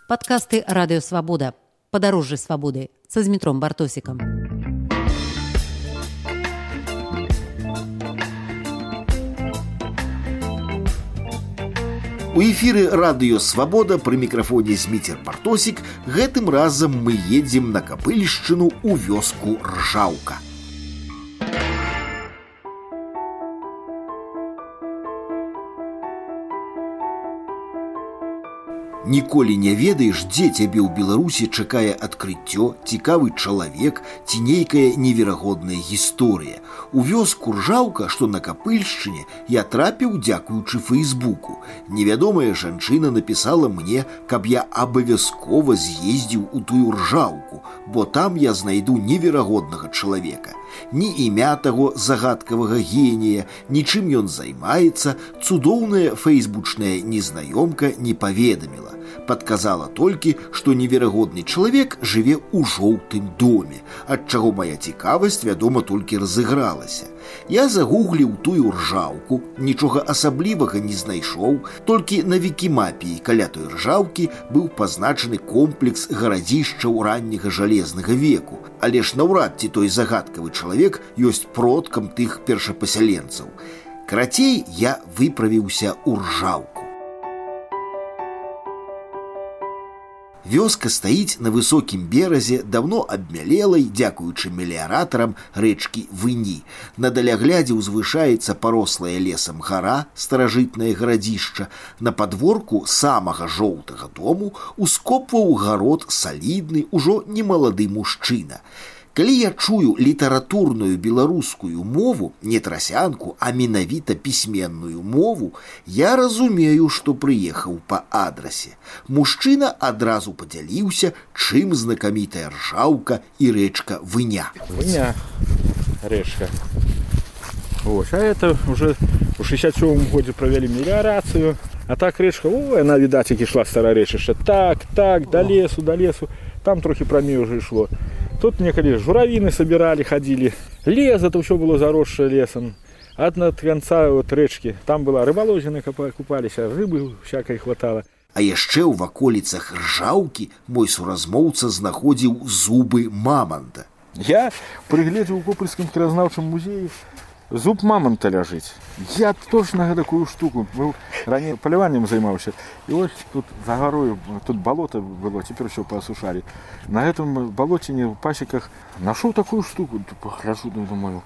Падкасты «Радыё Свабода». Падарожжы свабоды са Змітром Бартосікам. У эфіры «Радыё Свабода» пры мікрафоне Зміцер Бартосік. Гэтым разам мы едзем на Капыльшчыну ў вёску Ржаўка. Ніколі не ведаеш, дзе цябе ў Беларусі чакае адкрыццё, цікавы чалавек ці нейкая неверагодная гісторыя. У вёску Ржаўка, што на Капыльшчыне, я трапіў дзякуючы Фэйсбуку. Невядомая жанчына напісала мне, каб я абавязкова з'ездзіў у тую Ржаўку, бо там я знайду неверагоднага чалавека. Ні імя таго загадкавага генія, нічым ён займаецца, цудоўная фэйсбучная незнаёмка не паведаміла. Падказала толькі, што неверагодны чалавек жыве ў жоўтым доме, ад чаго моя цікавасць, вядома, толькі разыгралася. Я загугліў тую Ржаўку, нічога асаблівага не знайшоў, толькі на вікімапіі каля той Ржаўкі быў пазначаны комплекс гарадзішчаў ранняга жалезнага веку, але ж наўрад ці той загадкавы чалавек ёсць продкам тых першапасяленцаў. Карацей, я выправіўся ў Ржаўку. Вёска стаіць на высокім беразе, давно абмялелай, дзякуючы меліяратарам рэчкі Выні. На даляглядзе ўзвышаецца парослая лесам гара, старажытнае гарадзішча. На падворку самага жоўтага дому ускопваў гарод салідны, ужо немалады мужчына. Калі я чую літаратурную беларускую мову, не трасянку, а менавіта пісьменную мову, я разумею, што прыехаў па адрасе. Мужчына адразу падзяліўся, чым знакамітая Ржаўка і рэчка Выня. Выня, рэчка. Ось, а это уже у 67-м годзе правялі меліярацыю. А так рэчка, она, відаць, як ішла стара рэчышча. Так, до лесу. Там трохи прамей уже ішло. Тут некалі журавіны собирали, ходили. Лес, это все было заросшее лесом. От конца вот рэчкі, там была рыбаловіна, купались, а рыбы всякой хватало. А яшчэ ў ваколіцах Ржаўкі мой суразмоўца знаходзіў зубы маманта. Я прыгледзеў у Копыльскім краязнаўчым музеі, зуб мамонта ляжыць. Я точно такую штуку, раней паляваннем займаўся. І ось тут за гарою, тут балота было, цяпер усё паасушалі. На гэтым балоціне ў пасеках нашоў такую штуку, пагляджу, думаю.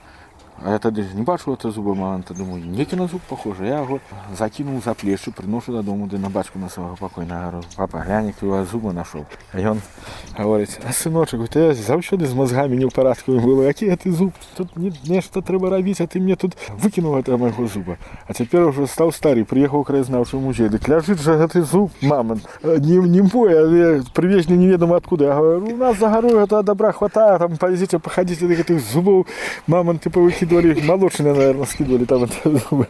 А я тады не бачыў это зубы мамонта, думаю, некі на зуб похоже. Я яго закінуў за плечы, прыношу дадому, ды на бацьку на свайго пакойнага гару. Папа, глянь, які у вас зубы нашоў. А ён гаворыць, а сыночак, ты заўсёды з мозгамі не ў парадку было, які ты зуб, тут нешта трэба рабіць, а ты мне тут выкінуў гэта майго зуба. А цяпер ужо стаў стары, прыехаў у краязнаўчы музей, дык ляжыць жа гэты зуб мамонт. Не мой, але прывезлі неведома адкуда. Я говорю, у нас за гарой гэта добра хватае, там пойдзіце, пахадзіце да гэтых зубоў, мамонты павыкідвалі. Молочные, наверное, скидывали там это зубы.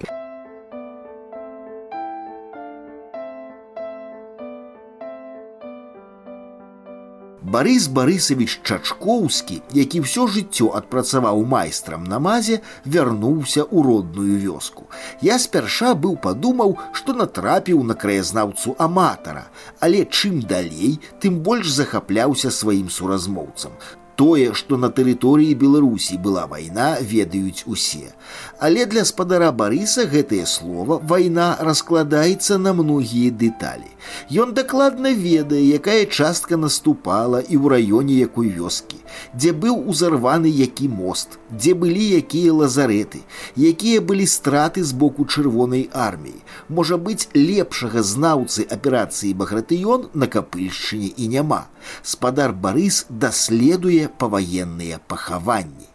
Барыс Барысавіч Чачкоўскі, які ўсё жыццё адпрацаваў майстрам на мазе, вярнуўся ў родную вёску. Я спярша быў падумаў, што натрапіў на краязнаўцу аматара, але чым далей, тым больш захапляўся сваім суразмоўцам. Тое, што на тэрыторыі Беларусі была вайна, ведаюць усе. Але для спадара Барыса гэтае слова «вайна» раскладаецца на многія дэталі. Ён дакладна ведае, якая частка наступала і ў раёне якой вёскі, дзе быў узарваны які мост, дзе былі якія лазарэты, якія былі страты з боку Чырвонай арміі. Можа быць, лепшага знаўцы аперацыі «Багратыён» на Капыльшчыне і няма. Спадар Барыс даследуе паваенныя пахаванні.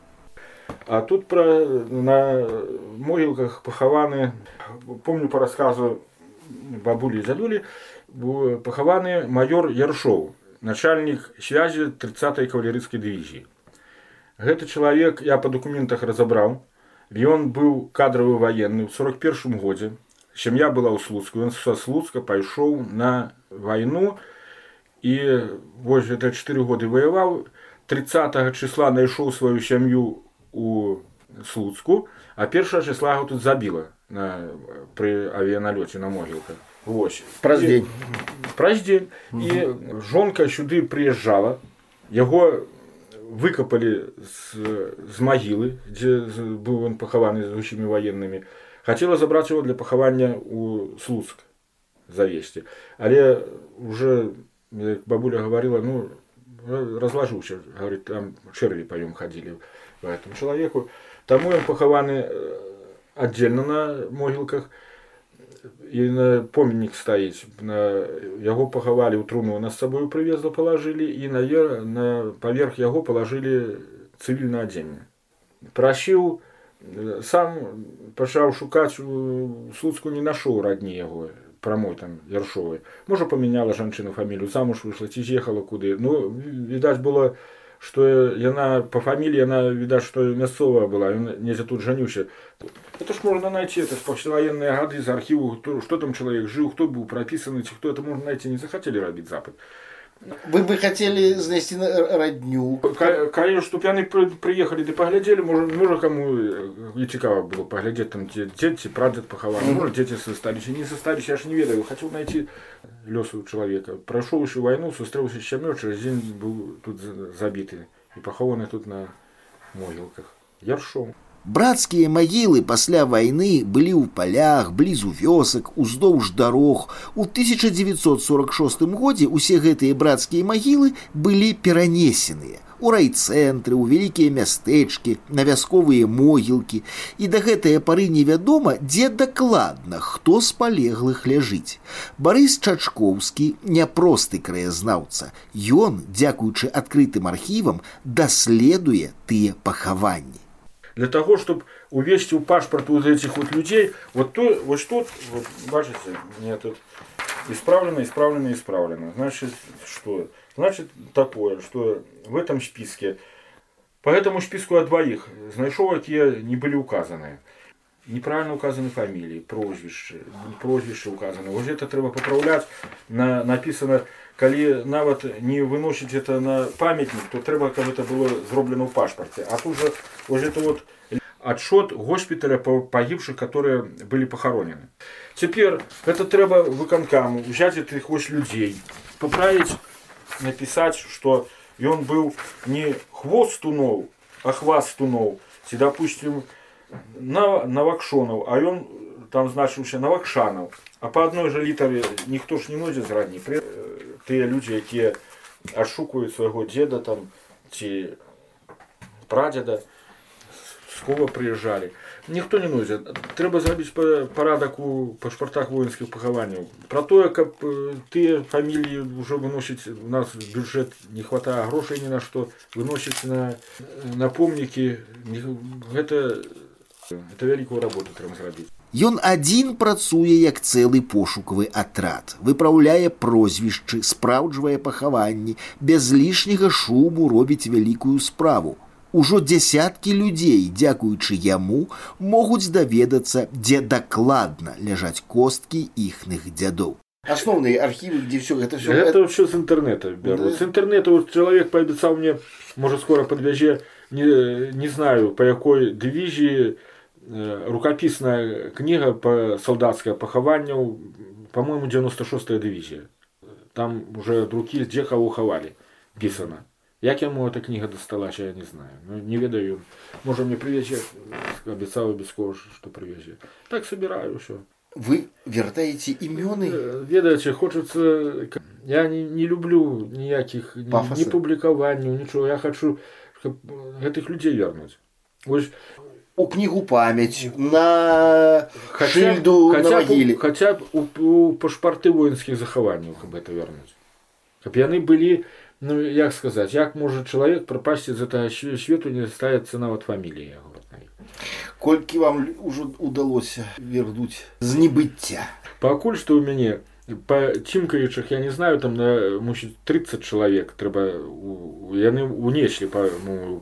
А тут на могілках пахаваны, помню по рассказу бабулі і дзядулі, пахаваны майор Яршоў, начальнік связі 30-й кавалерыйскай дывізіі. Гэты чалавек я па дакументах разабраў. Ён быў кадравы ваенны ў 41-м годзе. Сям'я была ў Слуцку. Ён са Слуцка пайшоў на вайну і вось гэта 4 годы ваяваў. 30 числа найшоў сваю сям'ю у Слуцку, а 1 числа яго тут забіла пры авіяналёце на могілках. Вось. Праз дзень. І жонка сюды прыязджала, яго выкапалі з магілы, дзе быў ён пахаваны з усімі ваеннымі. Хацела забраць яго для пахавання ў Слуцк завесці. Але уже, як бабуля гаварыла, разлажыўся, говорит, там чэрві па ём хадзілі по этому чалавеку. Таму ён пахаваны аддзельна на могілках. І на помнік стаіць. Яго пахавалі ў труну, нас з сабою прывезла, палажылі, і паверх яго палажылі цывільнае адзенне. Прасіў, сам пачаў шукаць у Слуцку, не нашоў радні яго, прамой там Яршовай. Можа, памяняла жанчына фамілію, замуж выйшла, ці з'ехала куды. Відаць было, што яна па фаміліі, яна, відаць, што мясцовая была, ён недзе тут жаніўся. Это ж можна найти, это ж пасляваенныя гады з архіву, што там чалавек жыў, хто быў прапісаны, ці хто, это можна найти, не захацелі рабіць запыт. Вы бы хотели знайсці радню? Калі, чтоб яны прыехалі ды паглядзелі, можа каму і цікава было паглядзець, там дзед ці прадзед пахаваны, можа дзеці засталіся, не засталіся, я ж не ведаю, хацеў найти лёсу чалавека. Прайшоўшы вайну, сустрэўся з сям'ёй, через дзень быў тут забіты і пахаваны тут на могілках. Яршоў. Брацкія магілы пасля вайны былі ў палях, блізу вёсак, уздоўж дарог. У 1946 годзе ўсе гэтыя брацкія магілы былі перанесеныя у райцэнтры, у вялікія мястэчкі, на вясковыя могілкі. І да гэтае пары невядома, дзе дакладна, хто з палеглых ляжыць. Барыс Чачкоўскі няпросты краязнаўца. Ён, дзякуючы адкрытым архівам, даследуе тыя пахаванні. Для того, чтобы увести в паспорт вот этих вот людей, вот тут, бачите, мне тут исправлено. Значит, что? Значит, такое, что в этом списке, по этому списку от двоих, знайшоў, якія не были указаны. Неправильно указаны фамилии, прозвище указаны. Вот это треба поправлять. Написано, коли нават не выносить это на памятник, то треба, как это было сделано в паспорте. А тут же вот это вот отчет госпиталя погибших, которые были похоронены. Теперь это треба выконкаму взять этих вот людей, поправить, написать, что он был не хвост тунов, а хваст тунов. Допустим, Навакшонов, а он там значился Навакшанов. А по одной же літары ніхто ж не носіць зрадні. Тыя людзі, якія адшукваюць свайго дзеда там, ці прадзеда, з кого прыязджалі. Ніхто не носіць. Трэба зрабіць парадак у пашпартах воінскіх пахаванняў. Пра тое, каб тыя фаміліі ўжо выносіць, у нас бюджэт не хватае грошай ні на што, выносіць на помнікі. Гэта вялікую работу трэба зрабіць. Ён адзін працуе як цэлы пошукавы атрад, выпраўляе прозвішчы, спраўджвае пахаванні, без лішняга шуму робіць вялікую справу. Ужо дзясяткі людзей, дзякуючы яму, могуць даведацца, дзе дакладна ляжаць косткі іхных дзядоў. Основные архивы, где все это все. Это все с интернета берут. Да. С интернета вот человек пообещал мне, может скоро подвяже, не знаю по какой дивизии, рукописная книга по солдатское похование, по-моему, 96-я дивизия. Там уже от руки где кого ховали, писано. Як ему эта книга досталась, я не знаю. Ну, не ведаю. Может мне привезет, обещал Бесков, что привезет. Так собираю все. Вы вертаете имёны? Ведаете, хочется... Я не люблю никаких ни публикований, ничего. Я хочу этих людей вернуть. У книгу память, на шильду, на могиле. Хотя бы у пашпарты воинских захований, как бы это вернуть. Чтобы они были, ну, як сказать, як может человек пропасть из этого свету, не ставит цена от фамилии. Колькі вам уже удалось вернуть з небыття? Пакуль што ў мяне па цімкаючых, я не знаю, там мусіць 30 чалавек трэба, яны унеслі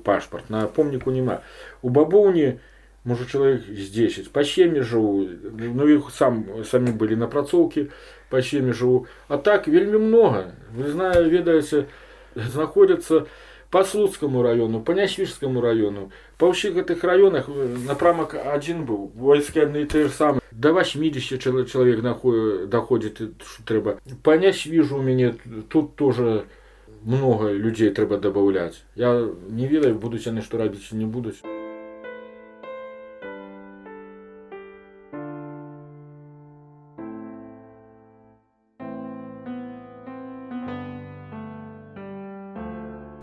пашпарт, на помніку няма. У бабоўні, можа, чалавек з 10, па сем'і жыву, ну іх самі былі напрацоўкі, па сем'і жыву. А так вельмі многа, вы ведаеце, знаходзяцца по Слуцкому району, по Няшвижскому району. По всех этих районах напрамок один был, войски одни и те же самые. До 80 человек доходит, что треба. По Няшвижу у меня тут тоже много людей треба добавлять. Я не ведаю, будуть они что робить, не будуть.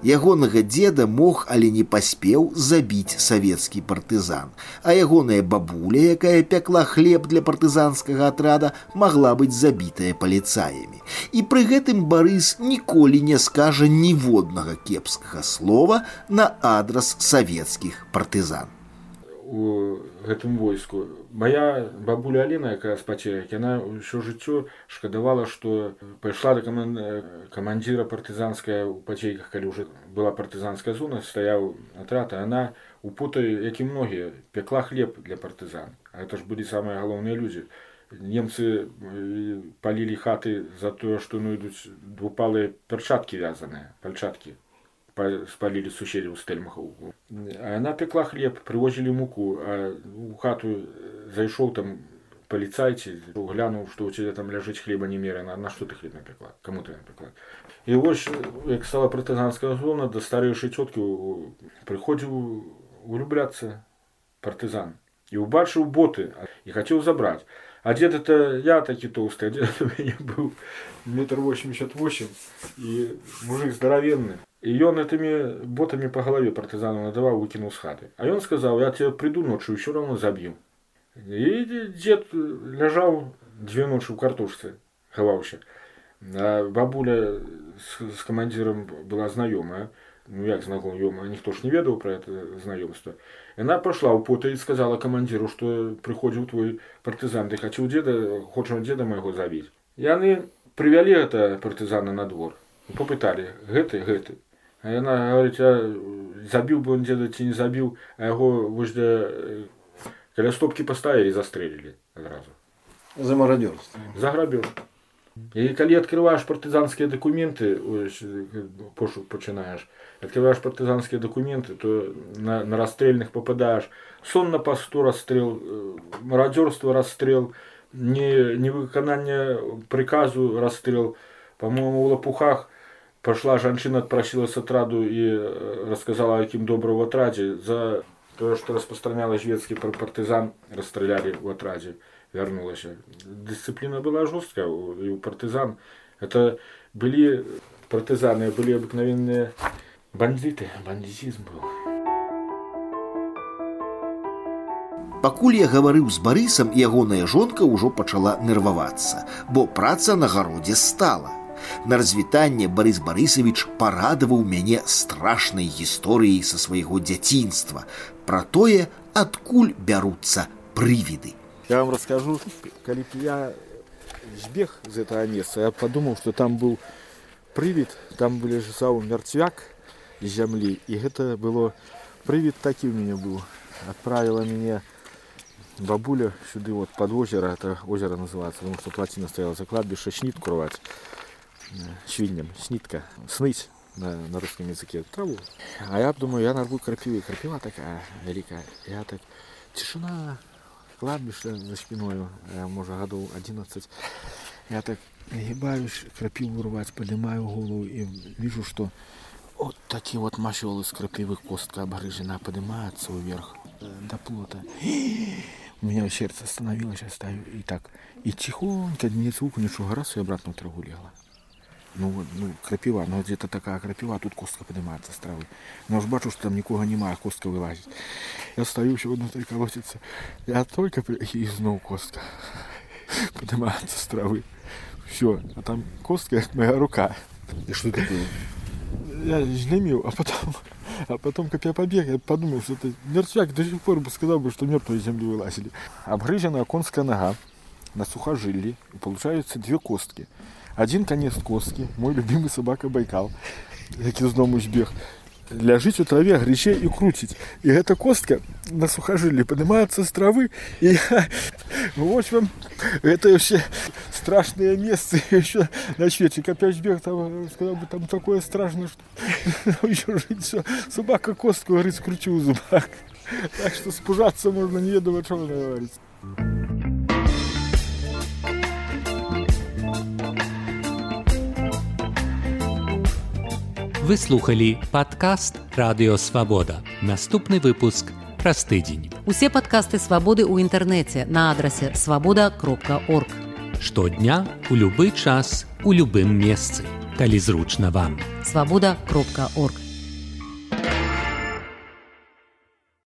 Ягонага деда мог, але не паспеў забіць савецкі партызан, а ягоная бабуля, якая пякла хлеб для партызанскага атрада, магла быць забітая паліцаямі. І пры гэтым Барыс ніколі не скажа ніводнага кепскага слова на адрас савецкіх партызан. У гэтым войску моя бабуля Алена, якая з пацерак, яна ўсё жыццё шкадавала, што пайшла да камандзіра партызанская ў пацейках, калі ўжо была партызанская зона, стаяў атрад, а яна у потай, як і многія, пекла хлеб для партызан. А это ж былі самыя галоўныя людзі. Немцы палілі хаты за тое, што ідуць двупалыя перчаткі вязаныя, пальчаткі. Спалили суседи у Стельмаха. А она пекла хлеб, привозили муку, а у хату зашел там полицайцы, глянул, что у тебя там лежит хлеба немерено, на что ты хлеб напекла, кому ты напекла. И вот, как стала партизанская зона, до старейшей тетки приходил улюбляться партизан. И убачил боты, и хотел забрать. А дед это я таки толстый, а дед у меня был 1,88 м, и мужик здоровенный. И он этими ботами по голове партизану надавал, выкинул с хаты. А он сказал, я тебя приду ночью, все равно забью. И дед лежал 2 ночи в картошце, ховался. А бабуля с командиром была знакомая. Ну, як знакомая, ніхто ж не ведал про это знакомство. И она пошла у пота и сказала командиру, что приходил твой партизан, ты хочешь деда моего забить. И они привели это партизана на двор. Попытали, гэты. А яна говорит, я забил бы он деда, ці не забил, а его возле каля стопки поставили и застрелили сразу. За мародерство. За грабеж. И коли открываешь партизанские документы, пошук починаешь, открываешь партизанские документы, то на расстрельных попадаешь. Сон на посту расстрел, мародерство расстрел, невыконание приказу расстрел. По-моему, в Лопухах пошла женщина, отпросилась отраду и рассказала, каким добрым в отраде. За то, что распространяла шведский партизан, расстреляли в отраде. Вернулась. Дисциплина была жесткая и у партизан. Это были партизаны, были обыкновенные бандиты. Бандитизм был. Пакуль я гаварыў з Барысам, ягоная жонка ўжо пачала нервавацца, бо праца на гародзе стала. На развітанне Барыс Барысавіч парадаваў мяне страшнай гісторыяй са свайго дзяцінства пра тое, адкуль бяруцца прывіды. Я вам расскажу, когда я сбег из этого места, я подумал, что там был привид, там лежал мертвяк из земли, и это было, привид такой у меня был. Отправила меня бабуля сюда вот под озеро, это озеро называется, потому что плотина стояла за кладбище, снитку рвать, свиньям, снитка, сныть на русском языке траву. А я думаю, я нарву крапивы, крапива такая великая, я так, тишина, кладбище за спиною, может, году 11. Я так нагибаюсь, крапиву рвать, поднимаю голову и вижу, что вот такие вот мощелы с крапивы, костка обгрызена, поднимается вверх до плота. У меня сердце остановилось, я стою и так. И тихонько, не звуку, ничего, раз и обратно в траву легла. Ну, крапива, ну где-то такая крапива, а тут костка поднимается с травы. Но уж бачу, что там никого нема, а костка вылазит. Я стою, еще внутри колотится. Я только и снова костка поднимается с травы. Все, а там костка, как моя рука. И что такое? Я жлемил, а потом, как я побег, я подумал, что это мертвяк, до сих пор бы сказал бы, что мертвые из земли вылазили. Обгрызенная конская нога на сухожилии, и получаются 2 костки. Один конец костки, мой любимый собака Байкал, який з дому збіг, ляжить у траве, грече и крутить. И эта костка на сухожилии поднимается с травы, и я Вот вам это все страшные места еще на свете. Копячбек там сказал бы, там такое страшное, что еще жить все. Собака костку, говорит, скручу в зубах. Так что спужаться можно не ведомо, что говорится. Вы слухали падкаст Радыё Свабода. Наступны выпуск праз тыдзень. Усе падкасты Свабоды ў інтэрнэце на адрасе swaboda.org. Штодня, у любы час, у любым месцы, калі зручна вам. swaboda.org.